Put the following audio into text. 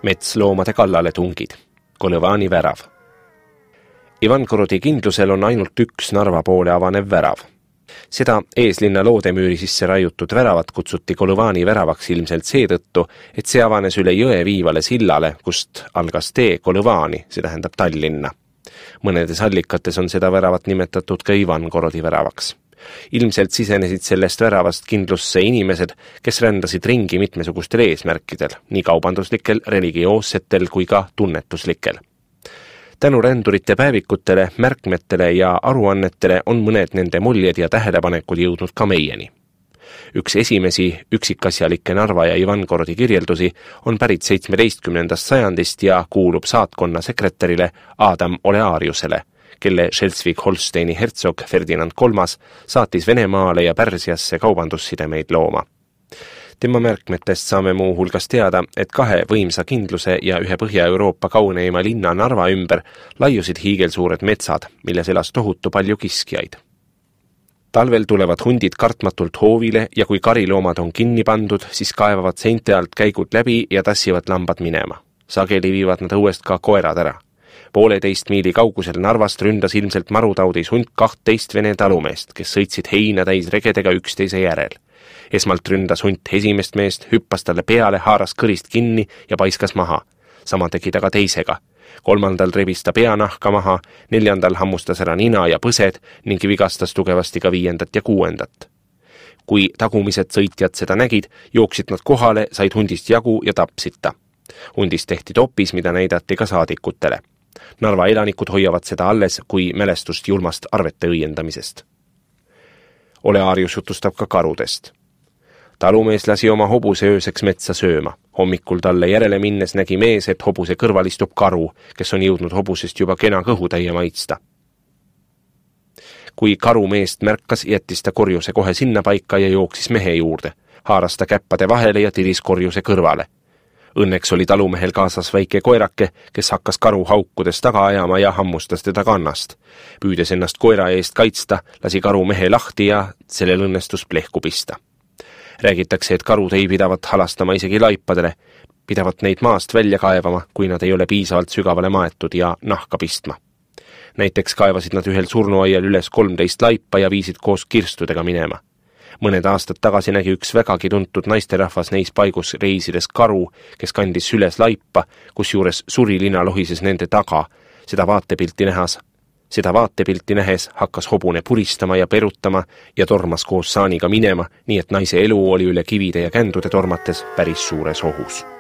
Metsloomade kallale tungid. Koľevani värav. Ivangorodi kindlusel on ainult üks Narva poole avanev värav. Seda eeslinna loodemüüri sisse raiutud väravat kutsuti Koľevani väravaks ilmselt seetõttu, et see avanes üle jõe viivale sillale, kust algas tee Koľevani, see tähendab Tallinna. Mõnedes allikates on seda väravat nimetatud ka Ivangorodi väravaks. Ilmselt sisenesid sellest väravast kindlusse inimesed, kes rändasid ringi mitmesugustel eesmärkidel, nii kaubanduslikel, religioossetel kui ka tunnetuslikel. Tänu rändurite päevikutele, märkmetele ja aruannetele on mõned nende muljed ja tähelepanekud jõudnud ka meieni. Üks esimesi üksikasjalikke Narva ja Ivangorodi kirjeldusi on pärit 17. sajandist ja kuulub saatkonna sekretärile Adam Oleariusele, kelle Schleswig-Holsteini hertsog Ferdinand III saatis Venemaale ja Pärsiasse kaubandussidemeid looma. Tema märkmetest saame muu hulgas teada, et kahe võimsa kindluse ja ühe Põhja-Euroopa kauneima linna Narva ümber laiusid hiigelsuured metsad, milles elas tohutu palju kiskjaid. Talvel tulevad hundid kartmatult hoovile ja kui kariloomad on kinni pandud, siis kaevavad seinte alt käigud läbi ja tassivad lambad minema. Sageli viivad nad õuest ka koerad ära. 1,5 miili kaugusel Narvast ründas ilmselt marutaudis hunt 12 vene talumeest, kes sõitsid heina täis regedega üksteise järel. Esmalt ründas hunt esimest meest, hüppas talle peale, haaras kõrist kinni ja paiskas maha. Sama tegi ta ka teisega. 3. rebis ta peanahka maha, 4. hammustas ära nina ja põsed ning vigastas tugevasti ka 5. ja 6. Kui tagumised sõitjad seda nägid, jooksid nad kohale, said hundist jagu ja tapsid ta. Hundist tehti topis, mida näidati ka saadikutele. Narva elanikud hoiavad seda alles kui mälestust julmast arvete õiendamisest. Olearius jutustab ka karudest. Talumees lasi oma hobuse ööseks metsa sööma. Hommikul talle järele minnes nägi mees, et hobuse kõrval istub karu, kes on jõudnud hobusest juba kena kõhutäie maitsta. Kui karu meest märkas, jättis ta korjuse kohe sinna paika ja jooksis mehe juurde. Haaras ta käppade vahele ja tiris korjuse kõrvale. Õnneks oli talumehel kaasas väike koerake, kes hakkas karu haukudes taga ajama ja hammustas teda kannast. Püüdes ennast koera eest kaitsta, lasi karu mehe lahti ja sellel õnnestus plehku pista. Räägitakse, et karud ei pidavat halastama isegi laipadele, pidavat neid maast välja kaevama, kui nad ei ole piisavalt sügavale maetud ja nahka pistma. Näiteks kaevasid nad ühel surnuaial üles 13 laipa ja viisid koos kirstudega minema. Mõned aastad tagasi nägi üks vägagi tuntud naisterahvas neis paigus reisides karu, kes kandis süles laipa, kus juures surilina lohises nende taga. Seda vaatepilti nähes hakkas hobune puristama ja perutama ja tormas koos saaniga minema, nii et naise elu oli üle kivide ja kändude tormates päris suures ohus.